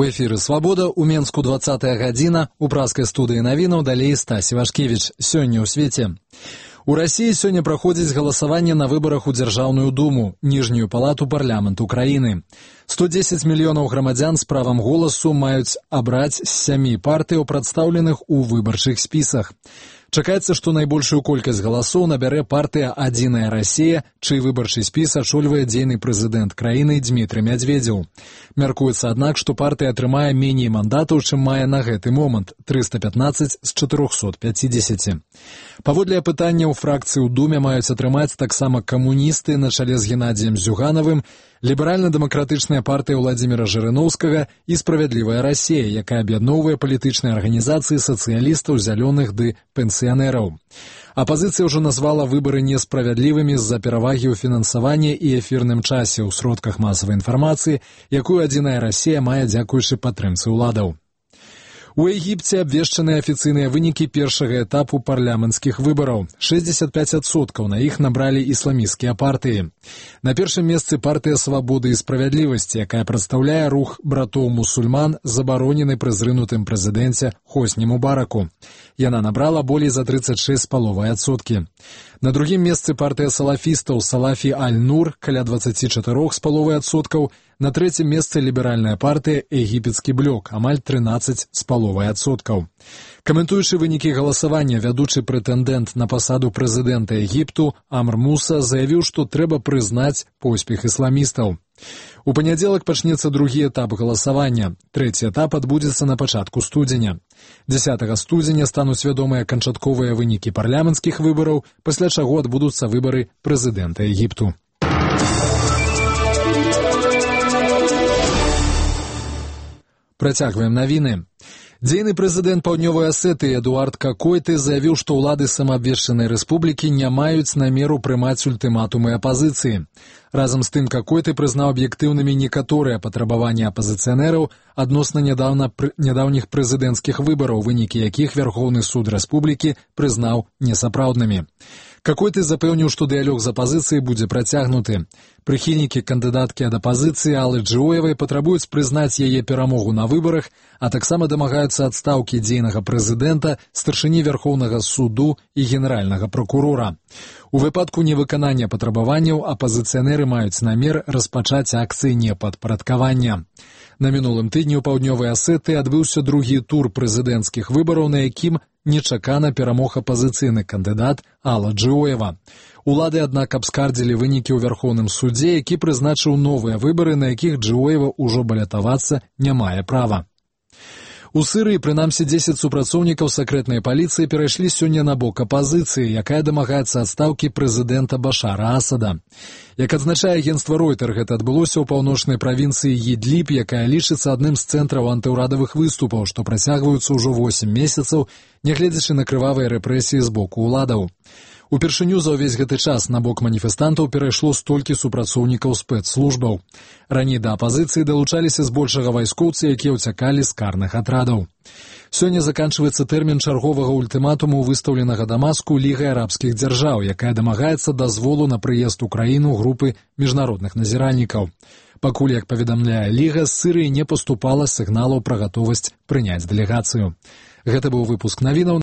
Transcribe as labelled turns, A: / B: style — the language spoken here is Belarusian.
A: У эфіры «Свабода», у Менску 20-я гадзіна, у пражскай студыі навінаў далей Стась Івашкевіч. Сёння ў свеце. У России сёння праходзіць галасаванне на выбарах у Дзяржаўную думу, ніжнюю палату парламенту краіны. 110 мільёнаў грамадзян з правам голасу маюць абраць з 7 партыяў, прадстаўленых у выбарчых спісах. Чакаецца, што найбольшую колькасць галасоў набярэ партыя «Адзіная Расія», чый выбарчы спіс ачольвае дзейны прэзідэнт краіны Дзмітрый Мядзведзеў. Мяркуецца, аднак, што партыя атрымае меней мандатаў, чым мае на гэты момант – 315 з 450. Паводле апытанняў фракцыі ў Думе маюць атрымаць таксама камуністы на чале з Геннадзіем Зюганавым, ліберальна-дэмакратычная партыя Владзіміра Жырыноўскага і «Справядлівая Расія», якая аб'ядноўвае палітычныя арганізацыі сацыялістаў, зялёных ды пенсіянераў. Апазіцыя ўжо назвала выбары несправядлівымі з-за перавагі ў фінансаванні і эфірным часе ў сродках масавай інфармацыі, якую «Адзіная Расія» мае дзякуючы падтрымцы ўладаў. У Егіпце абвешчаныя афіцыйныя вынікі першага этапу парламенцкіх выбараў. 65% на іх набралі ісламісцкія партыі. На першым месцы партыя «Свабоды і справядлівасці», якая прадстаўляе рух братоў-мусульман, забаронены пры зрынутым прэзідэнце Хосні Мубараку. Яна набрала болей за 36,5%. На другім месцы партыя салафістаў «Салафі Аль-Нур» каля 24,5%. На трэцім месцы ліберальная партыя «Егіпецкі блок» амаль 13,5%. Каментуючы вынікі галасавання, вядучы прэтэндэнт на пасаду прэзідэнта Егіпту Амр Муса заявіў, што трэба прызнаць поспех ісламістаў. У панядзелак пачнецца другі этап галасавання. Трэці этап адбудзецца на пачатку студзеня. 10 студзеня стануць вядомыя канчатковыя вынікі парламенцкіх выбараў, пасля чаго адбудуцца выбары прэзідэнта Егіпту. Працягваем навіны. Дзейны прэзідэнт Паўднёвай Асетыі Эдуард Какойты заявіў, што ўлады самаабвешчанай рэспублікі не маюць намеру прымаць ультыматумы апазіцыі. Разам з тым Какойты прызнаў аб'ектыўнымі некаторыя патрабаванні апазіцыянераў адносна нядаўніх прэзідэнцкіх выбараў, вынікі якіх Вярхоўны суд рэспублікі прызнаў несапраўднымі. Какойты запэўніў, што дыялог з апазіцыяй будзе працягнуты. Прыхільнікі кандыдаткі ад апазіцыі Аллы Джоевай патрабуюць прызнаць яе перамогу на выбарах, а таксама дамагаюцца адстаўкі дзейнага прэзідэнта, старшыні Вярхоўнага суду і генеральнага пракурора. У выпадку невыканання патрабаванняў апазіцыянеры маюць намер распачаць акцыі непадпарадкавання. На мінулым тыдні ў Паўднёвай Асетыі адбыўся другі тур прэзідэнцкіх выбараў, на якім нечакана перамог апазіцыйны кандыдат Алла Джоева. Улады, аднак, абскардзілі вынікі ў Вярхоўным судзе, які прызначыў новыя выбары, на якіх Джоева ўжо балятавацца не мае права. У Сырыі, прынамсі, 10 супрацоўнікаў сакрэтнай паліцыі перайшлі сёння на бок апазіцыі, якая дамагаецца адстаўкі прэзідэнта Башара Асада. Як адзначае агенцтва Ройтер, гэта адбылося ў паўночнай правінцыі Ідліб, якая лічыцца адным з цэнтраў антыўрадавых выступаў, што працягваюцца ўжо 8 месяцаў, нягледзячы на крывавыя рэпрэсіі з боку ўладаў. Упершыню за ўвесь гэты час на бок маніфестантаў перайшло столькі супрацоўнікаў спецслужбаў. Раней да апазіцыі далучаліся збольшага вайскоўцы, якія ўцякалі з карных атрадаў. Сёння заканчваецца тэрмін чарговага ультыматуму, выстаўленага Дамаску Лігай арабскіх дзяржаў, якая дамагаецца дазволу на прыезд у краіну групы міжнародных назіральнікаў. Пакуль, як паведамляе Ліга, з Сырыі не паступала сігналаў пра гатовасць прыняць дэлегацыю. Гэта быў выпуск навінаў.